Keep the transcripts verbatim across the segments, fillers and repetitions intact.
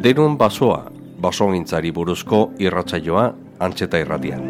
Denon basoa, basogintzari buruzko irratsaioa Antxeta Irratian.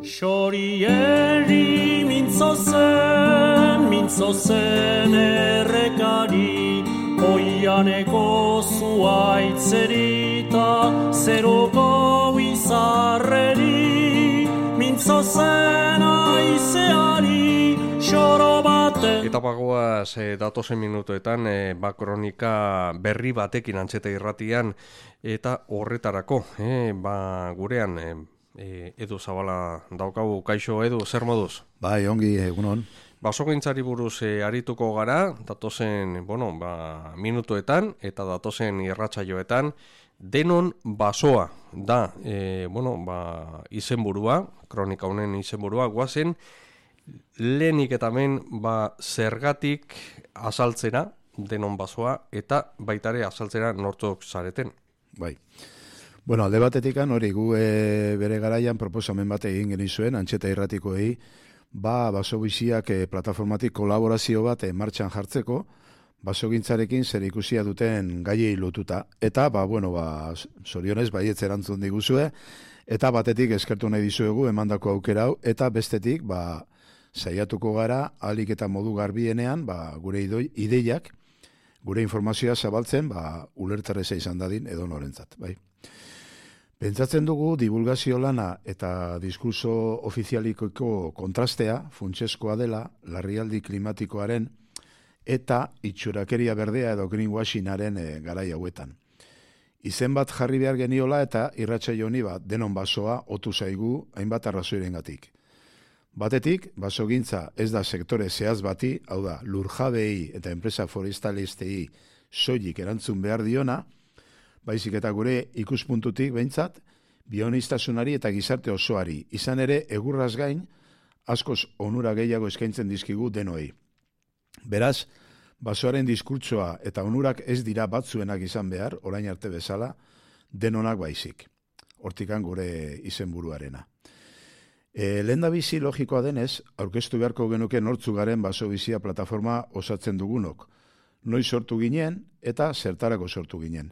Xorieri mintzo zen, mintzo zen errekari, oianeko zuaitzerita, zeruko izarreri, mintzo zen aizeari, xoro bate. Eta bagoaz e, datozen minutuetan e, ba kronika berri batekin Antxeta Irratian, eta horretarako, e, ba gurean e, E, Edu Zabala daukagu. Kaixo Edu, zer moduz? Bai, ongi, egunon. Basogintzari buruz e, arituko gara, datozen, bueno, ba, minutuetan eta datozen irratsaioetan. Denon basoa da, e, bueno, ba, izenburua, kronika honen izenburua, guazen, lehenik eta hemen, ba, zergatik azaltzera, denon basoa, eta baitare azaltzera nortzok zareten. Bai. Bueno, alde batetikan hori gu e, bere garaian proposamen bat egin genizuen Antxeta Irratikoei, ba basobiziak e, plataformatik kolaborazio bat e, martxan jartzeko, basogintzarekin zer ikusia duten gaiei lotuta. Eta, ba, bueno, ba, zorionez, baietz erantzun diguzue, eta batetik eskertu nahi dizuegu emandako aukera hau, eta bestetik, ba, saiatuko gara, ahalik eta modu garbienean, ba, gure idoi, ideiak, gure informazioa zabaltzen, ba, ulerterreza izan dadin edo norentzat, bai. Pentsatzen dugu divulgazio lana eta diskurso ofizialikoko kontrastea funtsezkoa dela larrialdi klimatikoaren eta itxurakeria berdea edo greenwashingaren e, garai hauetan. Izen bat jarri behar geniola eta irratsaio honi bat denon basoa otu zaigu hainbat arrazoirengatik. Batetik, basogintza ez da sektore zehaz bati, hau da, lurjabei eta enpresa forestalistei soilik erantzun behar diona, baizik eta gure ikuspuntutik behintzat, bionistasunari eta gizarte osoari, izan ere egurraz gain, askoz onura gehiago eskaintzen dizkigu denoi. Beraz, basoaren diskurtsoa eta onurak ez dira batzuenak izan behar, orain arte bezala, denonak baizik. Hortikan gure izenburuarena. E, lehendabizi logikoa denez, aurkeztu beharko genuke nortzu garen basobizia plataforma osatzen dugunok. Noiz sortu ginen eta zertarako sortu ginen.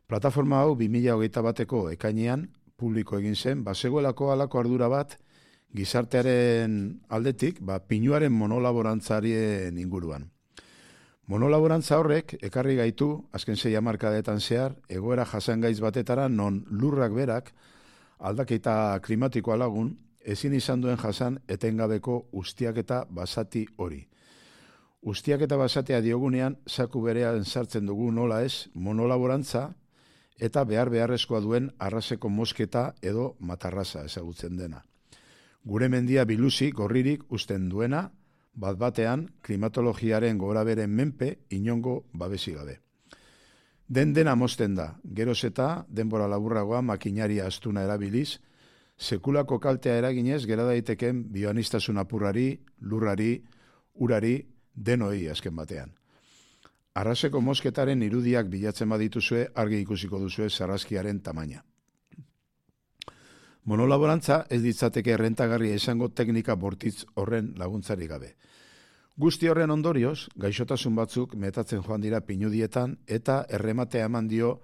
Plataforma hau bi mila hogeita bateko ekainean publiko egin zen, bazegoelako halako ardura bat gizartearen aldetik, ba, pinuaren monolaborantzarien inguruan. Monolaborantza horrek ekarri gaitu, azken sei hamarkadetan zehar, egoera jasangaiz batetara non lurrak berak aldaketa klimatikoa lagun, ezin izan duen jasan etengabeko ustiaketa basati hori. Ustiaketa basatea diogunean, zaku berean sartzen dugu nola ez, monolaborantza, eta behar beharrezkoa duen arraseko mosketa edo matarraza ezagutzen dena. Gure mendia biluzi gorririk usten duena, bat batean klimatologiaren goraberen menpe inongo babesi gabe. Den dena mozten da, geroz eta denbora laburragoa makinaria astuna erabiliz, sekulako kaltea eraginez gera daiteken bioanistasun apurrari, lurrari, urari, denoi azken batean. Arraseko mosketaren irudiak bilatzen badituzue, argi ikusiko duzue sarraskiaren tamaina. Monolaborantza ez ditzateke errentagarria izango teknika bortitz horren laguntzari gabe. Guzti horren ondorioz, gaixotasun batzuk metatzen joan dira pinudietan eta errematea eman dio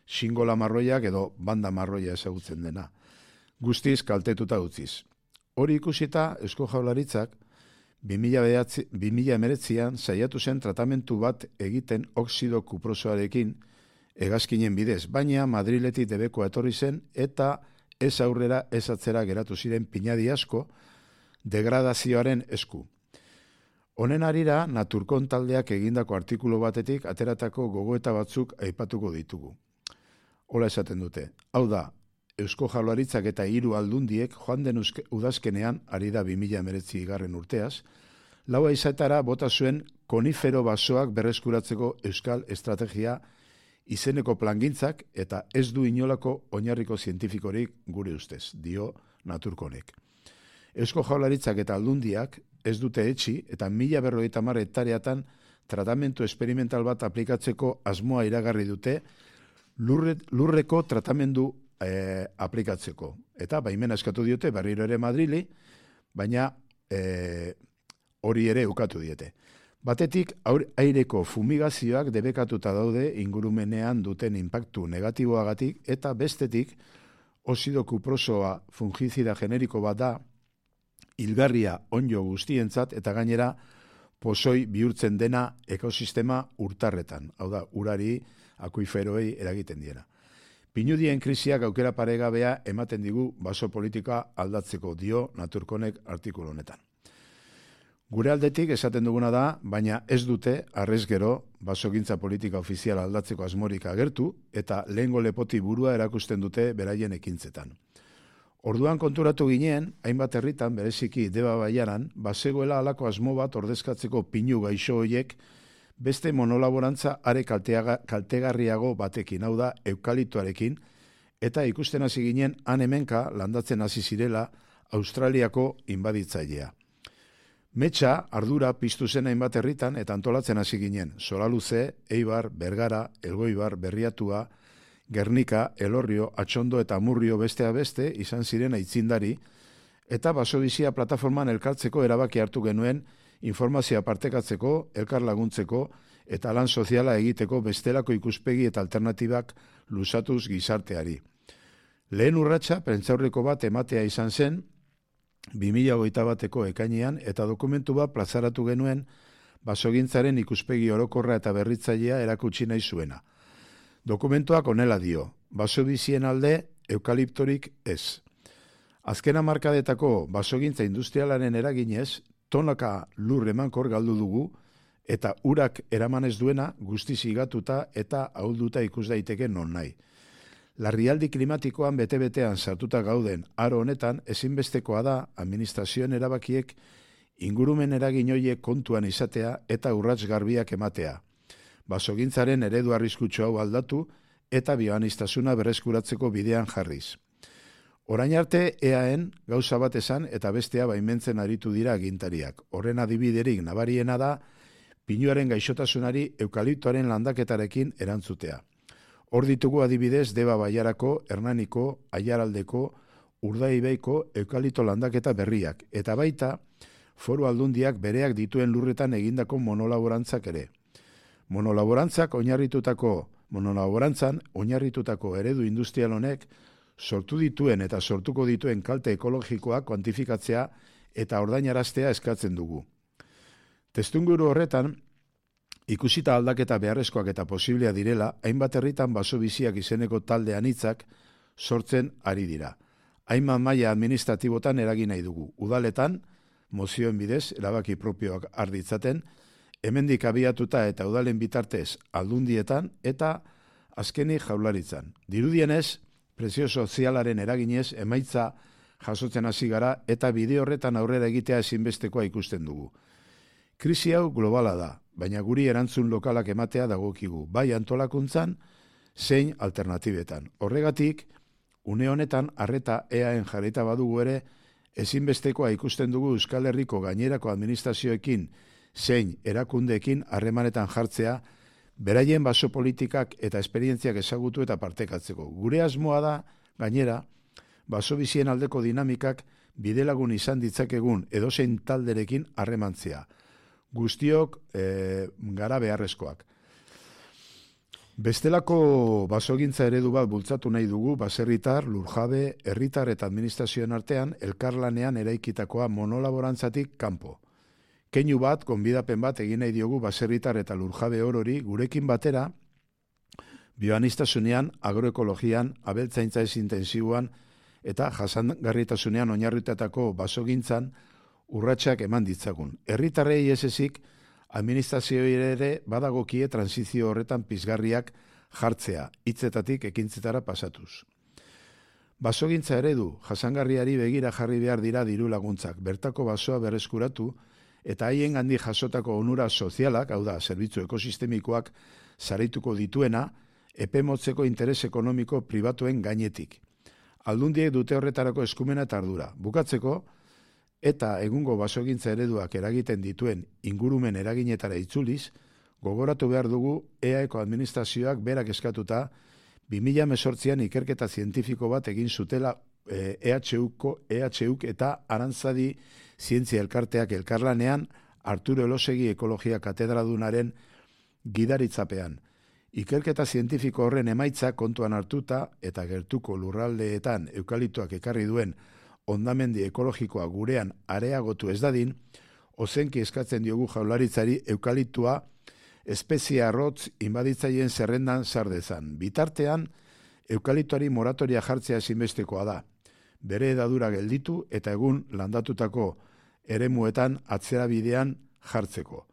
xingola marroiak edo banda marroia ezagutzen dena. Guztiz kaltetuta utziz. Hori ikusita, Eusko Jaurlaritzak bi mila hemeretzian saiatu zen tratamentu bat egiten oxido kuprosoarekin hegazkinen bidez, baina Madriletik debekoa etorri zen eta ez aurrera ez atzera geratu ziren pinadi asko degradazioaren esku. Honen harira, Naturkon taldeak egindako artikulu batetik ateratako gogoeta batzuk aipatuko ditugu. Hola esaten dute, hau da, Eusko Jaurlaritzak eta hiru aldundiek joan den udazkenean, ari da bi mila hemeretzi garren urteaz, laua izatara bota zuen konifero basoak berreskuratzeko euskal estrategia izeneko plangintzak eta ez du inolako oinarriko zientifikorik gure ustez, dio Naturkonek. Eusko Jaurlaritzak eta aldundiak ez dute etxi eta mila berrogeita hamar hektareatan tratamentu esperimental bat aplikatzeko asmoa iragarri dute lurre, lurreko tratamendu e, aplikatzeko. Eta baimena eskatu diote berriro ere Madrili, baina e, hori ere ukatu diete. Batetik, aireko fumigazioak debekatuta daude ingurumenean duten inpaktu negatiboagatik, eta bestetik, ozido kuprosoa fungizida generiko bat da, hilgarria onjo guztientzat, eta gainera, pozoi bihurtzen dena ekosistema urtarretan, hau da, urari, akuiferoei eragiten diena. Pinudien krisiak aukera paregabea ematen digu baso politika aldatzeko, dio Naturkonek artikulu honetan. Gure aldetik esaten duguna da, baina ez dute arrez gero basogintza politika ofiziala aldatzeko asmorik agertu eta lehengo lepoti burua erakusten dute beraien ekintzetan. Orduan konturatu ginen, hainbat herritan bereziki Deba Baiaran, bazegoela halako asmo bat ordezkatzeko pinu gaixo hoiek beste monolaborantza are kalteaga, kaltegarriago batekin, hau da eukaliptoarekin, eta ikusten hasi ginen han hemenka landatzen hasi zirela Australiako inbaditzailea. Metxa, ardura piztu zen hainbat herritan eta antolatzen hasi ginen. Soraluze, Eibar, Bergara, Elgoibar, Berriatua, Gernika, Elorrio, Atxondo eta Amurrio bestea beste izan ziren aitzindari, eta basodizia plataforman elkartzeko erabaki hartu genuen informazioa partekatzeko, elkar laguntzeko eta lan soziala egiteko bestelako ikuspegi eta alternatibak luzatuz gizarteari. Lehen urratsa prentsaurreko bat ematea izan zen, bi mila hogeita bateko ekainean eta dokumentu bat plazaratu genuen basogintzaren ikuspegi orokorra eta berritzailea erakutsi nahi zuena. Dokumentuak honela dio, basobizien alde eukaliptorik ez. Azken hamarkadetako basogintza industrialaren eraginez, tonaka lur emankor galdu dugu eta urak eraman ez duena guztiz higatuta eta ahulduta ikus daiteke non nahi. Larrialdi klimatikoan bete-betean sartuta gauden aro honetan ezinbestekoa da administrazioen erabakiek ingurumen eragin horiek kontuan izatea eta urrats garbiak ematea. Basogintzaren eredu arriskutsu hau aldatu eta bioaniztasuna berreskuratzeko bidean jarriz. Orain arte eaen gauza bat esan eta bestea baimentzen aritu dira agintariak. Horren adibiderik nabariena da pinuaren gaixotasunari eukaliptoaren landaketarekin erantzutea. Hor ditugu adibidez Deba Baiarako, Hernaniko, Aiaraldeko, Urdaibaiko eukalipto landaketa berriak, eta baita foru aldundiak bereak dituen lurretan egindako monolaborantzak ere. Monolaborantzak oinarritutako, monolaborantzan oinarritutako eredu industrial honek sortu dituen eta sortuko dituen kalte ekologikoak kuantifikatzea eta ordainaraztea eskatzen dugu. Testuinguru horretan, ikusita aldaketa beharrezkoak eta posiblea direla, hainbat herritan basobiziak izeneko talde anitzak sortzen ari dira. Hainbat maila administratibotan eragin nahi dugu. Udaletan, mozioen bidez, erabaki propioak arditzaten, hemendik abiatuta eta udalen bitartez aldundietan eta azkenik jaurlaritzan. Dirudienez, presio sozialaren eraginez emaitza jasotzen hasi gara eta bide horretan aurrera egitea ezinbestekoa ikusten dugu. Krisi hau globala da, baina guri erantzun lokalak ematea dagokigu, bai antolakuntzan, zein alternatibetan. Horregatik, une honetan arreta eaen jarrita badugu ere, ezinbestekoa ikusten dugu Euskal Herriko gainerako administrazioekin zein erakundeekin harremanetan jartzea, beraien baso politikak eta esperientziak ezagutu eta partekatzeko. Gure asmoa da, gainera, basobizien aldeko dinamikak bidelagun izan ditzakegun edozein talderekin harremantzea. Guztiok e, gara beharrezkoak. Bestelako basogintza eredu bat bultzatu nahi dugu baserritar, lurjabe, herritar eta administrazioen artean elkarlanean eraikitakoa monolaborantzatik kanpo. Keinu bat, gonbidapen bat egin nahi diogu baserritar eta lurjabe orori gurekin batera bioaniztasunean, agroekologian, abeltzaintza ez intensiboan eta jasangarritasunean oinarritetako basogintzan urratsak eman ditzagun. Herritarrei ez ezik, administrazioi ere badagokie transizio horretan pizgarriak jartzea, hitzetatik ekintzetara pasatuz. Basogintza eredu, jasangarriari begira jarri behar dira diru laguntzak, bertako basoa berreskuratu eta haien gandi jasotako onura sozialak, hau da, zerbitzu ekosistemikoak sarituko dituena, epe motzeko interes ekonomiko pribatuen gainetik. Aldundiek dute horretarako eskumena eta ardura. Bukatzeko, eta egungo basogintza ereduak eragiten dituen ingurumen eraginetara itzuliz, gogoratu behar dugu eaeko administrazioak berak eskatuta bi mila hemezortzian ikerketa zientifiko bat egin zutela E H Uko, E H Uk eta Arantzadi Zientzia Elkarteak elkarlanean Arturo Elosegi ekologia katedradunaren gidaritzapean. Ikerketa zientifiko horren emaitza kontuan hartuta eta gertuko lurraldeetan eukaliptoak ekarri duen hondamendi ekologikoa gurean areagotu ez dadin, ozenki eskatzen diogu Jaurlaritzari eukaliptoa espezie arrotz inbaditzaileen zerrendan sar dezan. Bitartean, eukaliptoari moratoria jartzea ezinbestekoa da. Bere edadura gelditu eta egun landatutako eremuetan atzerabidean jartzeko.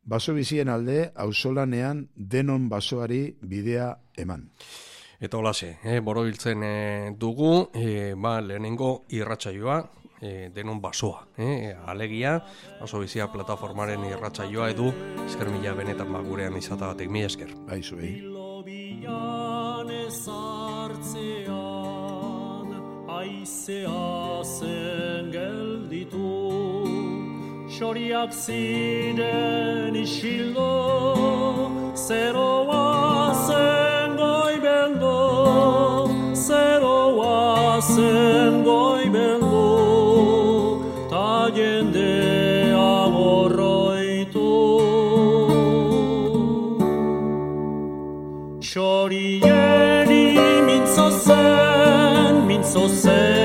Baso bizien alde, auzolanean denon basoari bidea eman. Eta holase, eh, borobiltzen eh, dugu, eh, ba, lehenengo irratsaioa, eh, denon basoa. Eh, alegia, baso bizia plataformaren irratsaioa edu, esker mila benetan ba, gurean izatagatik, mila esker. Baizu, eh? Aizea zen gelditu, xoriak ziren isildo, zeroa zen goibeldo, zeroa zen goibeldo, ta jendea gorroitu. Xorieni mintzo zen, mintzo zen,